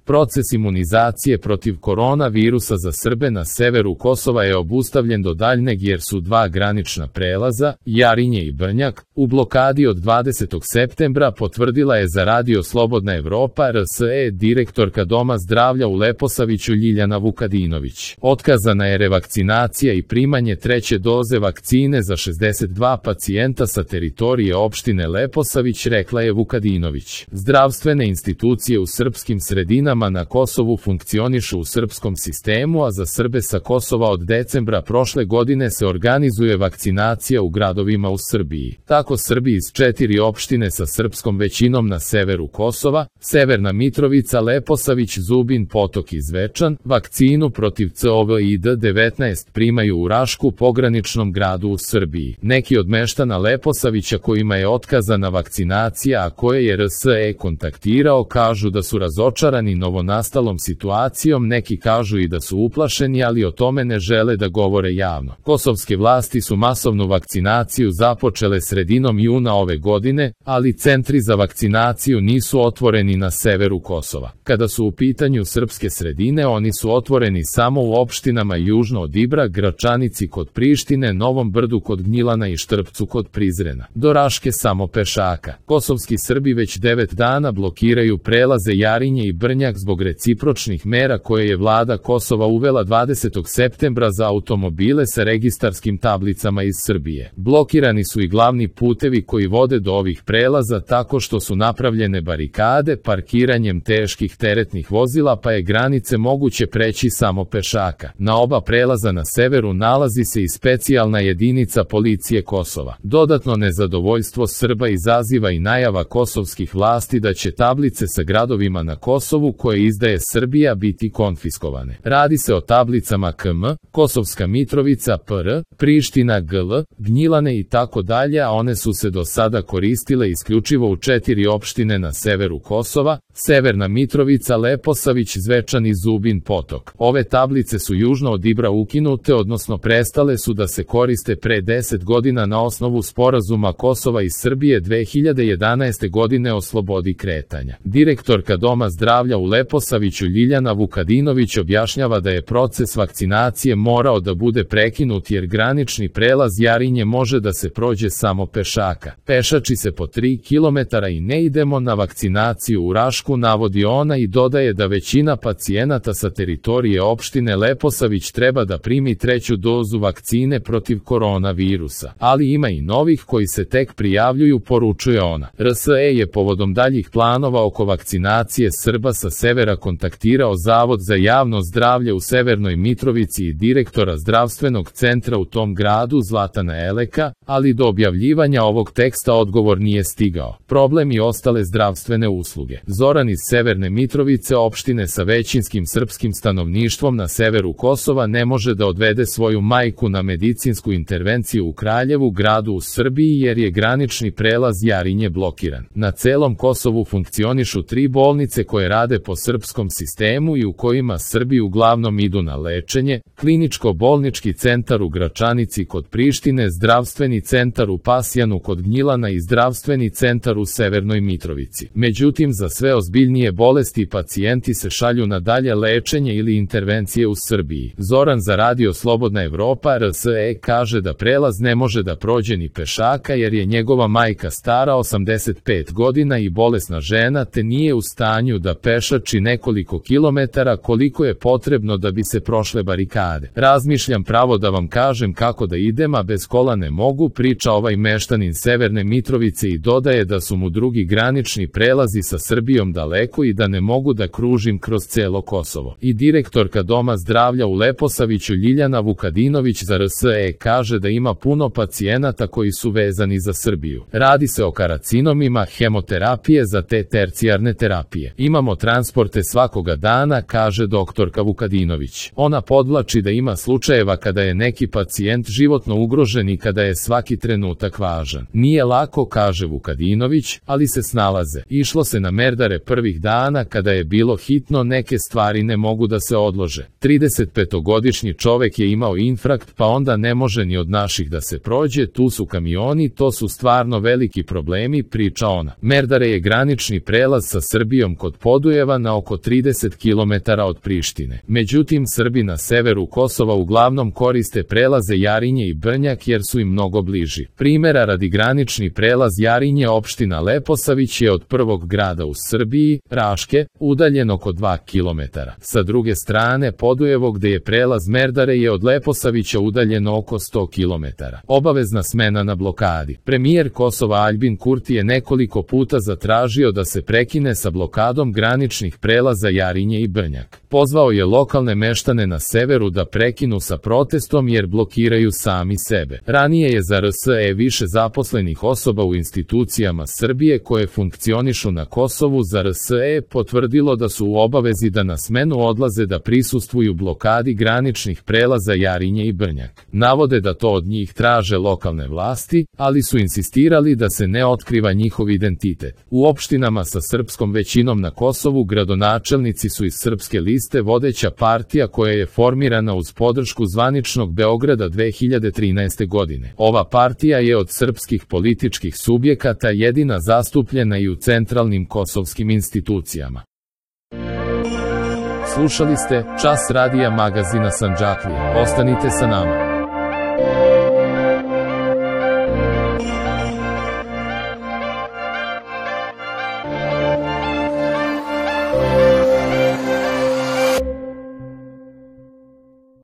Proces imunizacije protiv koronavirusa za Srbe na severu Kosova je obustavljen do daljnjeg jer su dva granična prelaza, Jarinje i Brnjak, u blokadi od 20. septembra, potvrdila je za Radio Slobodna Evropa RSE direktorka Doma zdravlja u Leposaviću Ljiljana Vukadinović. Otkazana je revakcinacija i primanje treće doze vakcine za 62 pacijenta sa teritorije opštine Leposavić, rekla je Vukadinović. Zdravstvene institucije u srpskim sredinama na Kosovu funkcionišu u srpskom sistemu, a za Srbe sa Kosova od decembra prošle godine se organizuje vakcinacija u gradovima u Srbiji. Tako Srbi iz 4 opštine sa srpskom većinom na severu Kosova, Severna Mitrovica, Leposavić, Zubin Potok i Zvečan, vakcinu protiv COVID-19 primaju u Rašku, pograničnom gradu u Srbiji. Neki od meštana Leposavića kojima je otkazana vakcinacija, a koje je RSE kontaktirao, kažu da su razočarani novonastalom situacijom, neki kažu i da su uplašeni, ali o tome ne žele da govore javno. Kosovske vlasti su masovnu vakcinaciju započele sredinom juna ove godine, ali centri za vakcinaciju nisu otvoreni na severu Kosova. Kada su u pitanju srpske sredine, oni su otvoreni samo u opštinama južno od Ibra, Gračanici kod Prištine, Novom Brdu kod Gnjilana i Štrpcu kod Prizrena. Do Raške samo pešaka. Kosovski Srbi već 9 dana blokiraju prelaze Jarinje i Brnjak zbog recipročnih mera koje je vlada Kosova uvela 20. septembra za automobile sa registarskim tablicama iz Srbije. Blokirani su i glavni putevi koji vode do ovih prelaza tako što su napravljene barikade parkiranjem teških teretnih vozila, pa je granice moguće preći samo pešaka. Na oba prelaza na severu nalazi se i specijalna jedinica policije Kosova. Dodatno nezadovoljstvo Srba izaziva i najava kosovskih vlasti da će tablice sa gradovima na Kosovu koje izdaje Srbija biti konfiskovane. Radi se o tablicama KM, Kosovska Mitrovica PR, Priština GL, Gnjilane i tako dalje, a one su se do sada koristile isključivo u 4 opštine na severu Kosova, Severna Mitrovica, Leposavić, Zvečan i Zubin Potok. Ove tablice su južno od Ibra ukinute, odnosno prestale su da se koriste pre 10 godina na osnovu sporazuma Kosova i Srbije 2011. godine o slobodi kretanja. Direktorka Doma zdravlja u Leposaviću Ljiljana Vukadinović objašnjava da je proces vakcinacije morao da bude prekinut jer granični prelaz Jarinje može da se prođe samo pešaka. Pešači se po 3 km i ne idemo na vakcinaciju u Rašku, navodi ona i dodaje da većina pacijenata sa teritorije opštine Leposavić treba da primi treću dozu vakcine protiv koronavirusa, ali ima i novih koji se tek prijavljuju, poručuje ona. RSE je povodom daljih planova oko vakcinacije Srba sa severa kontaktirao Zavod za javno zdravlje u Severnoj Mitrovici i direktora zdravstvenog centra u tom gradu Zlatana Eleka, ali do objavljivanja ovog teksta odgovor nije stigao. Problem i ostale zdravstvene usluge. Zoran iz Severne Mitrovice, opštine sa većinskim srpskim stanovništvom na severu Kosova, ne može da odvede svoju majku na medicinsku intervenciju u Kraljevu, gradu u Srbiji, jer je granični prelaz Jarinje blokiran. Na celom Kosovu funkcionišu 3 bolnice koje rade po srpskom sistemu i u kojima Srbi uglavnom idu na lečenje: kliničko-bolnički centar u Gračanici kod Prištine, zdravstveni centar u Pasjanu kod Gnjilana i zdravstveni centar u Severnoj Mitrovici. Međutim, za sve ozbiljnije bolesti pacijenti se šalju na dalje lečenje ili intervencije u Srbiji. Zoran za Radio Slobodna Evropa RSE kaže da prelaz ne može da prođe ni pešaka jer je njegova majka stara 85 godina i bolesna žena, te nije u stanju da pešači nekoliko kilometara koliko je potrebno da bi se prošle barikade. Razmišljam pravo da vam kažem kako da idem, a bez kola ne mogu, priča ovaj meštanin Severne Mitrovice i dodaje da su mu drugi granični prelazi sa Srbijom daleko i da ne mogu da kružim kroz celo Kosovo. I direktorka Doma zdravlja u Leposaviću Ljiljana Vukadinović za RSE kaže da ima puno pacijenata koji su vezani za Srbiju. Radi se o karcinomima, hemoterapije za te tercijarne terapije. Imamo transporte svakoga dana, kaže doktorka Vukadinović. Ona podvlači da ima slučajeva kada je neki pacijent životno ugrožen i kada je svaki trenutak važan. Nije lako, kaže Vukadinović, ali se snalaze. Išlo se na merdare prvih dana kada je bilo hitno, neke stvari ne mogu da se odlože. 35-godišnji čovek je imao infarkt, pa onda ne može ni od naših da se prođe, tu su kamioni, to su stvarno veliki problemi, priča ona. Merdare je granični prelaz sa Srbijom kod Podujeva, Kosova na oko 30 km od Prištine. Međutim, Srbi na severu Kosova uglavnom koriste prelaze Jarinje i Brnjak jer su im mnogo bliži. Primjera radi, granični prelaz Jarinje opština Leposavić je od prvog grada u Srbiji, Raške, udaljen oko 2 km. Sa druge strane, Podujevo gde je prelaz Merdare je od Leposavića udaljeno oko 100 km. Obavezna smena na blokadi. Premijer Kosova Aljbin Kurti je nekoliko puta zatražio da se prekine sa blokadom graničnih prelaza Jarinje i Brnjak. Pozvao je lokalne meštane na severu da prekinu sa protestom jer blokiraju sami sebe. Ranije je za RSE više zaposlenih osoba u institucijama Srbije koje funkcionišu na Kosovu za RSE potvrdilo da su u obavezi da na smenu odlaze da prisustvuju blokadi graničnih prelaza Jarinje i Brnjak. Navode da to od njih traže lokalne vlasti, ali su insistirali da se ne otkriva njihov identitet. U opštinama sa srpskom većinom na Kosovu gradonačelnici su iz Srpske liste vodeća partija koja je formirana uz podršku zvaničnog Beograda 2013. godine. Ova partija je od srpskih političkih subjekata jedina zastupljena i u centralnim kosovskim institucijama. Slušali ste Čas radija magazina Sandžaklija. Ostanite sa nama.